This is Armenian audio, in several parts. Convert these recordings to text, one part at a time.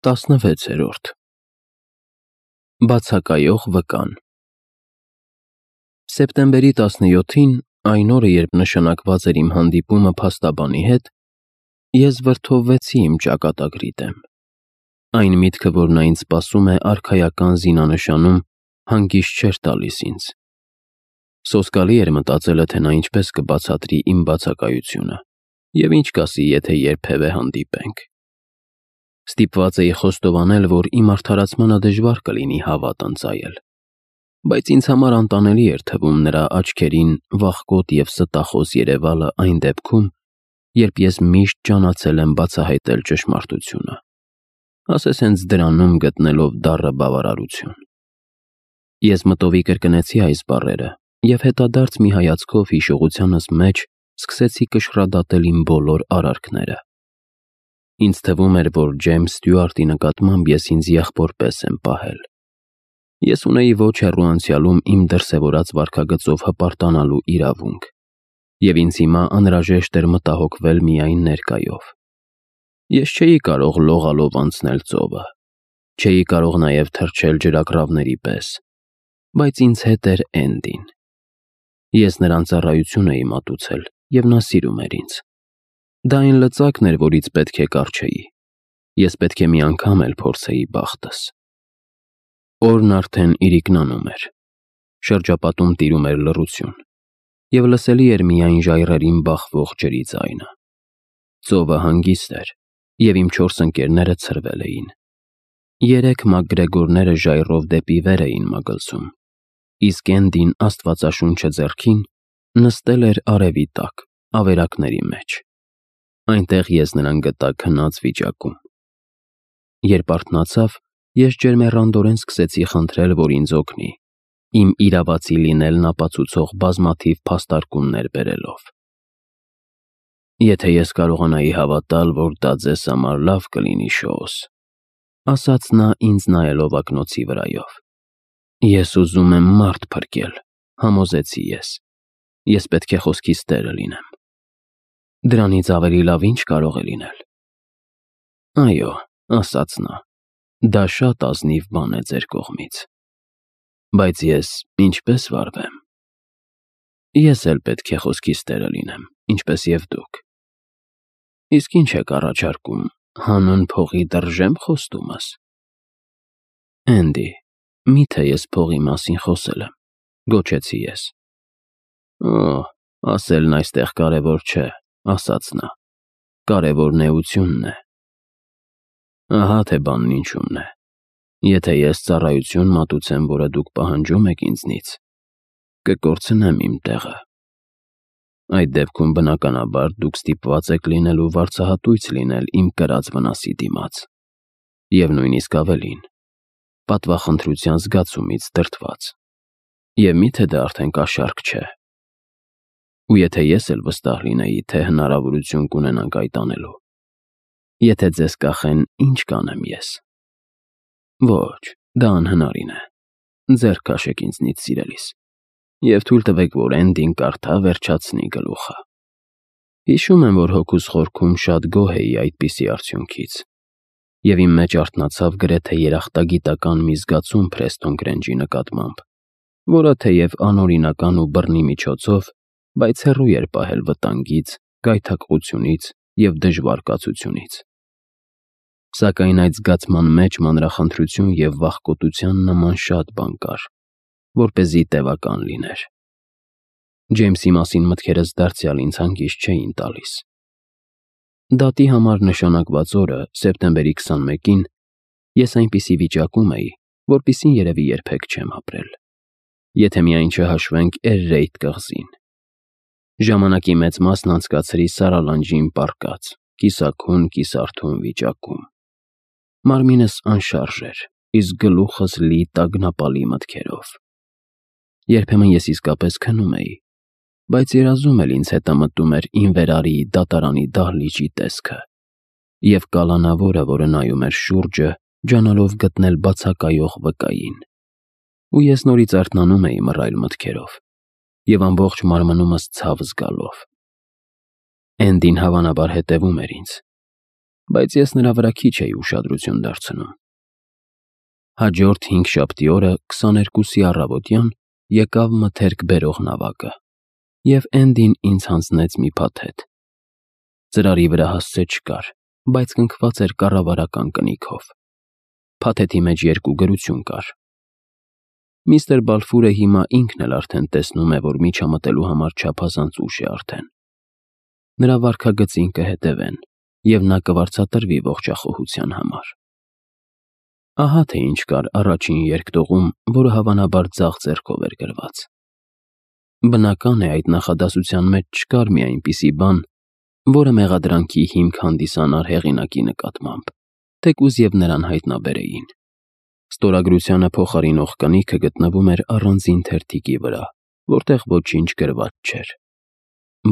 16-րդ Բացակայող վկան Սեպտեմբերի 17-ին, այն օրը, երբ նշանակված էր իմ հանդիպումը փաստաբանի հետ, ես վրդովվեցի իմ ճակատագրի դեմ։ Այն միտքը, որ նա ինձ սպասում է արքայական զինանշանում, հանգիստ չէր տալիս ինձ։ Սոսկալի էր մտածելը, թե նա ինչպես կբացատրի իմ բացակայությունը և ինչ կասի, եթե երբևէ հանդիպենք։ Ստիպված էի խոստովանել, որ իմ արդարացմանը դժվար կլինի հավատ ընծայել, բայց ինձ համար անտանելի էր թվում նրա աչքերին վախկոտ և ստախոս երևալը այն դեպքում, երբ ես միշտ ջանացել եմ բացահայտել ճշմարտությունը, ասես հենց դրանում գտնելով դառը բավարարություն։ Ես մտովի կրկնեցի այս բառերը և հետադարձ մի հայացքով հիշողությանս մեջ սկսեցի կշռադատել իմ բոլոր արարքները։ Ինձ թվում էր, որ Ջեյմս Ստյուարտի նկատմամբ ես ինձ եղբոր պես եմ պահել։ Ես ունեի ոչ հեռու անցյալում իմ դրսևորած վարքագծով հպարտանալու իրավունք, և ինձ հիմա անհրաժեշտ էր մտահոգվել միայն ներկայով։ Ես չէի կարող լողալով անցնել ծովը, չէի կարող նաև թռչել ջրագռավների պես, բայց ինձ հետ էր Էնդին։ Ես նրան ծառայություն էի մատուցել, և նա սիրում էր ինձ։ Դա այն լծակն էր, որից պետք է կառչեի։ Ես պետք է մի անգամ էլ փորձեի բախտս։ Օրն արդեն իրիկնանում էր։ Շրջապատում տիրում էր լռություն, և լսելի էր միայն ժայռերին բախվող ջրի ձայնը։ Ծովը հանգիստ էր, և իմ 4 ընկերները ցրվել էին։ 3 մակգրեգորները ժայռով դեպի վեր էին մագլցում, իսկ Էնդին, աստվածաշունչը ձեռքին, նստել էր արևի տակ, ավերակների մեջ։ Այնտեղ ես նրան գտա քնած վիճակում։ Երբ արթնացավ, ես ջերմեռանդորեն սկսեցի խնդրել, որ ինձ օգնի, իմ իրավացի լինելն ապացուցող բազմաթիվ փաստարկումներ բերելով։ «Եթե ես կարողանայի հավատալ, որ դա ձեզ համար լավ կլինի, Շոուս», ասաց նա ինձ նայելով ակնոցի վրայով։ «Ես ուզում եմ մարդ փրկել», համոզեցի ես։ Ես պետք է խոսքիս տերը լինեմ։ «Դրանից ավելի լավ ինչ կարող է լինել»։ «Այո», ասաց նա, «դա շատ ազնիվ բան է ձեր կողմից։ Բայց ես ինչպե՞ս վարվեմ»։ «Ես էլ պետք է խոսքիս տերը լինեմ, ինչպես և դուք»։ «Իսկ ինչ եք առաջարկում, հանուն փողի դրժե՞մ խոստումս»։ «Էնդի, մի՞թե ես փողի մասին խոսել եմ», գոչեցի ես։ «Օ, ասելն այստեղ կարևոր չէ», ասաց նա, «կարևորն էությունն է»։ «Ահա թե բանն ինչումն է։ Եթե ես ծառայություն մատուցեմ, որը դուք պահանջում եք ինձնից, կկորցնեմ իմ տեղը։ Այդ դեպքում, բնականաբար, դուք ստիպված եք լինելու վարձահատույց լինել իմ կրած վնասի դիմաց, և նույնիսկ ավելին, պատվախնդրության զգացումից դրդված։ Եվ մի՞թե դա արդեն կաշառք չէ։ Ու եթե ես էլ վստահ լինեի, թե հնարավորություն կունենանք այդ անելու, եթե ձեզ կախեն, ինչ կանեմ ես։ Ոչ, դա անհնարին է։ Ձեռք քաշեք ինձնից, սիրելիս, և թույլ տվեք, որ Էնդին կարդա վերջացնի գլուխը։ Հիշում եմ, որ հոգուս խորքում շատ գոհ էի այդպիսի արդյունքից, և իմ մեջ արթնացավ գրեթե երախտագիտական մի զգացում Փրեստոն Գրենջի նկատմամբ, որը թեև անօրինական ու բռնի միջոցով, բայց հեռու էր պահել վտանգից, գայթակղությունից և դժվար կացությունից։ Սակայն այդ զգացման մեջ մանրախնդրություն և վախկոտության նման շատ բան կար, որպեսզի տևական լիներ։ Ջեյմսի մասին մտքերս դարձյալ ինձ հանգիստ չէին տալիս։ Դատի համար նշանակված օրը, սեպտեմբերի 21-ին, ես այնպիսի վիճակում էի, որպիսին երևի երբեք չեմ ապրել, եթե միայն չհաշվենք Էրրեյթ կղզին։ Ժամանակի մեծ մասն անցկացրի Սարալանջին պառկած, կիսաքուն, կիսարթուն վիճակում։ Մարմինս անշարժ էր, իսկ գլուխս լի տագնապալի մտքերով։ Երբեմն ես իսկապես քնում էի, բայց երազում էլ ինձ հետամտում էր Ինվերարիի դատարանի դահլիճի տեսքը և կալանավորը, որը նայում էր շուրջը, ջանալով գտնել բացակայող վկային։ Ու ես նորից արթնանում էի մռայլ մտքերով և ամբողջ մարմնումս ցավ զգալով։ Էնդին հավանաբար հետևում էր ինձ։ բայց ես նրա վրա քիչ էի ուշադրություն դարձնում։ Հաջորդ 5 օրը 22-ի առավոտյան եկավ մթերք բերող նավակը, և Էնդին ինձ հանձնեց մի փաթեթ։ Ծրարի վրա հասցե չկար, բայց կնքված էր կառավարական կնիքով։ Փաթեթի մեջ 2 գրություն կար։ Միստր Բալֆուրը հիմա ինքն էլ արդեն տեսնում է, որ միջամտելու համար չափազանց ուշ է արդեն։ Նրա վարքագծին կհետևեն, և նա կվարձատրվի ողջախոհության համար։ Ահա թե ինչ կար առաջին երկտողում, որը հավանաբար ձախ ձեռքով էր գրված։ Բնական է, այդ նախադասության մեջ չկար մի այնպիսի բան, որը մեղադրանքի հիմք հանդիսանար հեղինակի նկատմամբ, թեկուզ և նրան հայտնաբերեին։ Ստորագրությանը փոխարինող կնիքը գտնվում էր առանձին թերթիկի վրա, որտեղ ոչինչ գրված չէր։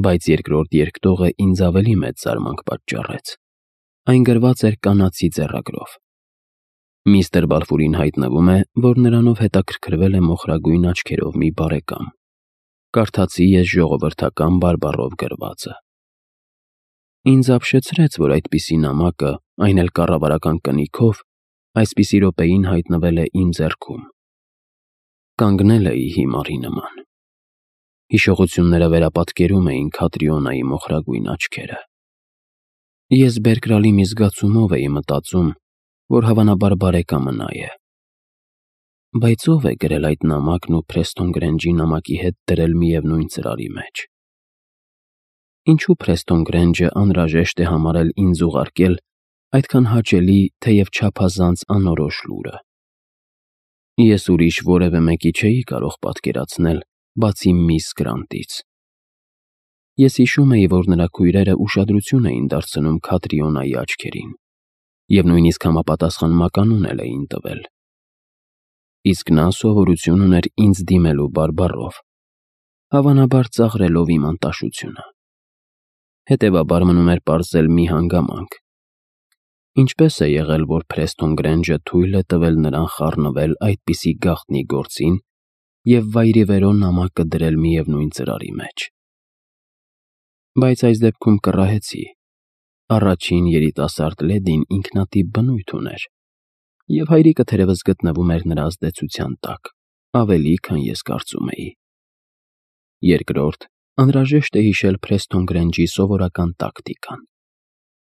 Բայց երկրորդ երկտողը ինձ ավելի մեծ զարմանք պատճառեց։ Այն գրված էր կանացի ձեռագրով։ Միստր Բալֆուրին հայտնվում է, որ նրանով հետաքրքրվել է մոխրագույն աչքերով մի բարեկամ։ Կարդացի ես ժողովրդական բարբառով գրվածը։ Ինձ ապշեցրեց, որ այդպիսի նամակը, այն էլ կառավարական կնիքով, այսպիսի րոպեին հայտնվել է իմ ձեռքում։ Կանգնել էի հիմարի նման։ Հիշողությունները վերապատկերում էին Քատրիոնայի մոխրագույն աչքերը։ Ես բերկրալի մի զգացումով էի մտածում, որ հավանաբար բարեկամը նա է։ Բայց ով է գրել այդ նամակն ու Փրեստոն Գրենջի նամակի հետ դրել միևնույն ծրարի մեջ։ Ինչու Փրեստոն Գրենջը անհրաժեշտ է համարել ինձ ուղարկել այդքան հաճելի, թեև չափազանց անորոշ լուրը։ Ես ուրիշ որևէ մեկի չէի կարող պատկերացնել, բացի միս Գրանտից։ Ես հիշում էի, որ նրա քույրերը ուշադրություն էին դարձնում Քատրիոնայի աչքերին, և նույնիսկ համապատասխան մականուն էլ էին տվել։ Իսկ նա սովորություն ուներ ինձ դիմելու բարբառով, հավանաբար ծաղրելով իմ անտաշությունը։ Հետևաբար մնում էր պարզել մի հանգամանք։ Ինչպես է եղել, որ Փրեստոն Գրենջը թույլ է տվել նրան խառնվել այդպիսի գաղտնի գործին և վայրիվերո նամակը դրել միևնույն ծրարի մեջ։ Բայց այս դեպքում կռահեցի։ Առաջին երիտասարդ լեդին ինքնատիպ բնույթ ուներ, և հայրիկը թերևս գտնվում էր նրա ազդեցության տակ, ավելի, քան ես կարծում էի։ Երկրորդ, անհրաժեշտ է հիշել Փրեստոն Գրենջի սովորական տակտիկան։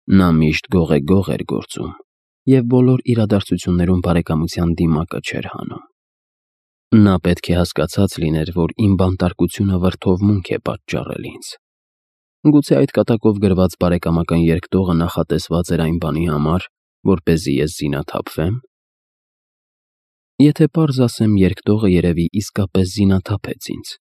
Նա միշտ գողեգող էր գործում և բոլոր իրադարձություններում բարեկամության դիմակը չէր հանում։ Նա պետք է հասկացած լիներ, որ իմ բանտարկությունը վրդովմունք է պատճառել ինձ։ Գուցե այդ կատակով գրված բարեկամական երկտողը նախատեսված էր այն բանի համար, որպեսզի ես զինաթափվեմ։ Եթե պարզ ասեմ, երկտողը երևի իսկապես զինաթափեց ինձ։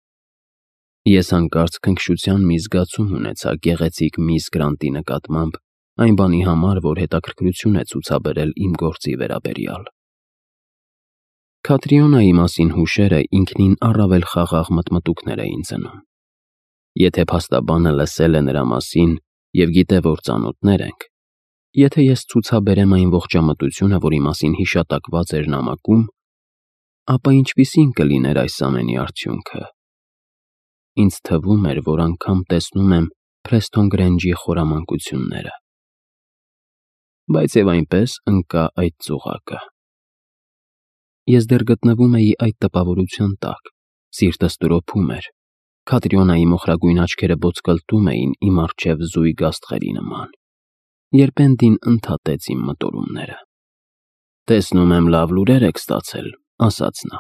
Ես հանկարծ քնքշության մի զգացում ունեցա գեղեցիկ միս Գրանտի նկատմամբ այն բանի համար, որ հետաքրքրություն է ցուցաբերել իմ գործի վերաբերյալ։ Քատրիոնայի մասին հուշերը ինքնին առավել խաղաղ մտմտուքներ էին ծնում։ Եթե փաստաբանը լսել է նրա մասին և գիտե, որ ծանոթներ ենք, եթե ես ցուցաբերեմ այն ողջամտությունը, որի մասին հիշատակված էր նամակում, ապա ինչպիսին կլիներ այս ամենի արդյունքը։ Ինձ թվում էր, որ անգամ տեսնում եմ Փրեստոն Գրենջի խորամանկությունները։ Բայց և այնպես ընկա այդ ծուղակը։ Ես դեռ գտնվում էի այդ տպավորության տակ, սիրտս տրոփում էր, Քատրիոնայի մոխրագույն աչքերը ոտկլտում էին իմ առջև զույգ աստղերի նման, երբ Էնդին ընդհատեց իմ մտորումները։ «Տեսնում եմ, լավ լուրեր եք ստացել», ասաց նա։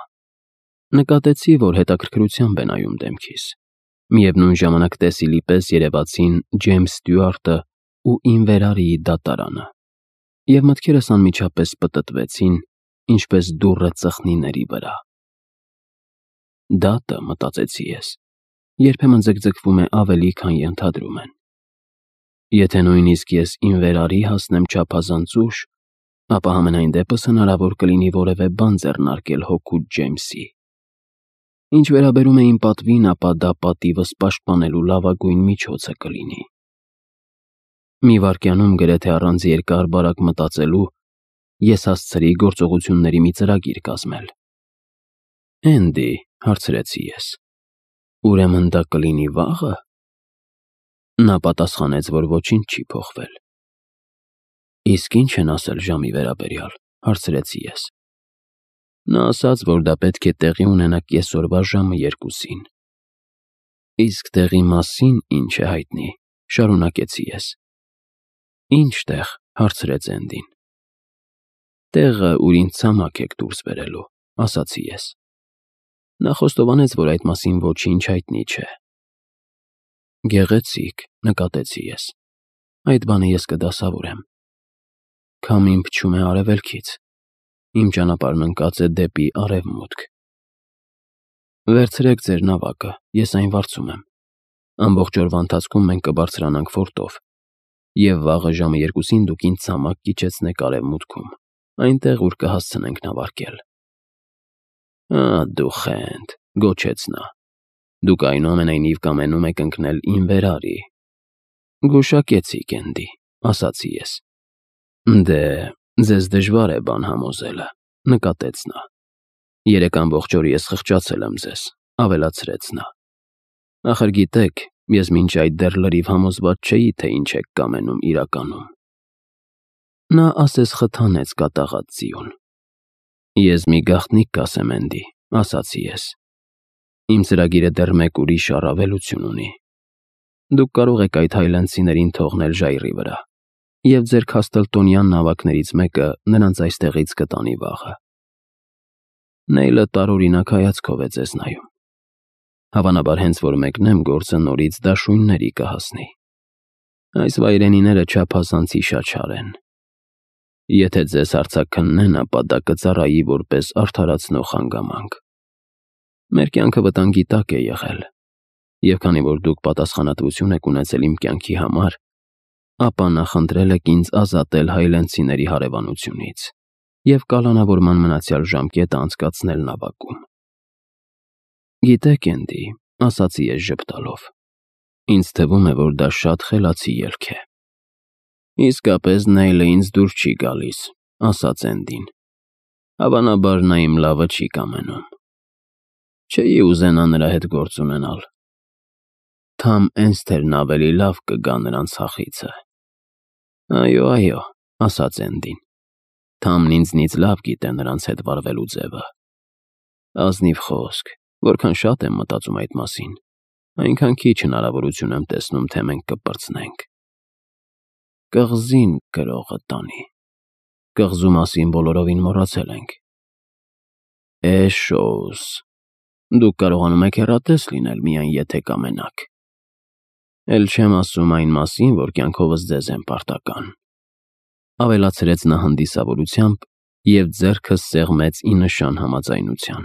Նկատեցի, որ հետաքրքրությամբ է նայում դեմքիս։ Միևնույն ժամանակ տեսիլի պես երևացին Ջեյմս Ստյուարտը ու Ինվերարիի դատարանը, և մտքերս անմիջապես պտտվեցին, ինչպես դուռը ծխնիների վրա։ Դատը, մտածեցի ես, երբեմն ձգձգվում է ավելի, քան ենթադրում են։ Եթե նույնիսկ ես Ինվերարի հասնեմ չափազանց ուշ, ապա համենայն դեպս հնարավոր կլինի որևէ բան ձեռնարկել հօգուտ Ջեյմսի։ Ինչ վերաբերում է իմ պատվին, ապա դա պատիվս պաշտպանելու լավագույն միջոցը կլինի։ Մի վայրկյանում գրեթե առանց երկար-բարակ մտածելու ես հասցրի գործողությունների մի ծրագիր կազմել։ «Էնդի», հարցրեցի ես, «ուրեմն դա կլինի վաղը»։ Նա պատասխանեց, որ ոչինչ չի փոխվել։ Իսկ ինչ են ասել ժամի վերաբերյալ, հարցրեցի ես։ Նա ասաց, որ դա պետք է տեղի ունենա կեսօրվա ժամը 2-ին։ Իսկ տեղի մասին ինչ է հայտնի, շարունակեցի ես։ Ինչ տեղ, հարցրեց Էնդին։ Տեղը, ուր ինձ ցամաք եք դուրս բերելու, ասացի ես։ Նա խոստովանեց, որ այդ մասին ոչինչ հայտնի չէ։ Գեղեցիկ, նկատեցի ես։ Այդ բանը ես կդասավորեմ։ Քամին փչում է արևելքից։ Իմ ճանապարհն ընկած է դեպի արևմուտք։ Վերցրեք ձեր նավակը, ես այն վարձում եմ։ Ամբողջ օրվա ընթացքում մենք կբարձրանանք ֆորտով, և վաղը ժամը 2-ին դուք ինձ ցամաք կիջեցնեք արևմուտքում, այնտեղ, ուր կհասցնենք նավարկել։ Դու խենթ, գոչեց նա։ Դուք այնուամենայնիվ կամենում եք ընկնել իմ վերարի։ Գուշակեցիք, Էնդի, ասացի ես։ Դե, ձեզ դժվար է բան համոզելը, նկատեց նա։ Երեկ ամբողջ օր ես խղճացել եմ ձեզ, ավելացրեց նա։ Ախր գիտեք, ես մինչ այդ դեռ լրիվ համոզված չէի, թե ինչ եք կամենում իրականում։ Նա ասես խթանեց կատաղած ձիուն։ Ես մի գաղտնիք կասեմ, Էնդի, ասացի ես։ Իմ ծրագիրը դեռ մեկ ուրիշ առավելություն ունի։ Դուք կարող եք այդ հայլանդցիներին թողնել ժայռի վրա, և ձեր քասթլտոնյան նավակներից մեկը նրանց այստեղից կտանի վաղը։ Նեյլը տարօրինակ հայացքով է ձեզ նայում։ Հավանաբար հենց որ մեկնեմ, գործը նորից դաշույնների կհասնի։ Այս վայրենիները չափազանց հիշաչար են։ Եթե ձեզ հարցաքննեն, ապա դա կծառայի որպես արդարացնող հանգամանք։ Մեր կյանքը վտանգի տակ է եղել, և քանի որ դուք պատասխանատվություն եք ունեցել իմ կյանքի համար, ապա նախընտրել եք ինձ ազատել հայլանդցիների հարևանությունից և կալանավորման մնացյալ ժամկետը անցկացնել նավակում։ Գիտեք, Էնդի, ասացի ես ժպտալով, ինձ թվում է, որ դա շատ խելացի ելք է։ Իսկապես Նեյլը ինձ դուր չի գալիս, ասաց Էնդին։ Հավանաբար նա իմ լավը չի կամենում։ Չէի ուզենա նրա հետ գործ ունենալ։ Թամ Էնսթերն ավելի լավ կգա նրան ցախիցը։ Այո, ասաց Էնդին։ Թամն ինձնից լավ գիտե նրանց հետ վարվելու ձևը։ Ազնիվ խոսք, որքան շատ եմ մտածում այդ մասին, այնքան քիչ հնարավորություն եմ տեսնում, թե մենք կպրծնենք։ Կղզին գրողը տանի։ Կղզու մասին բոլորովին մոռացել ենք։ Էշոս, դուք կարողանում եք հեռատես լինել, միայն եթե կամենաք։ Էլ չեմ ասում այն մասին, որ կյանքովս ձեզ եմ պարտական, ավելացրեց նա հանդիսավորությամբ և ձեռքը սեղմեց ի նշան համաձայնության։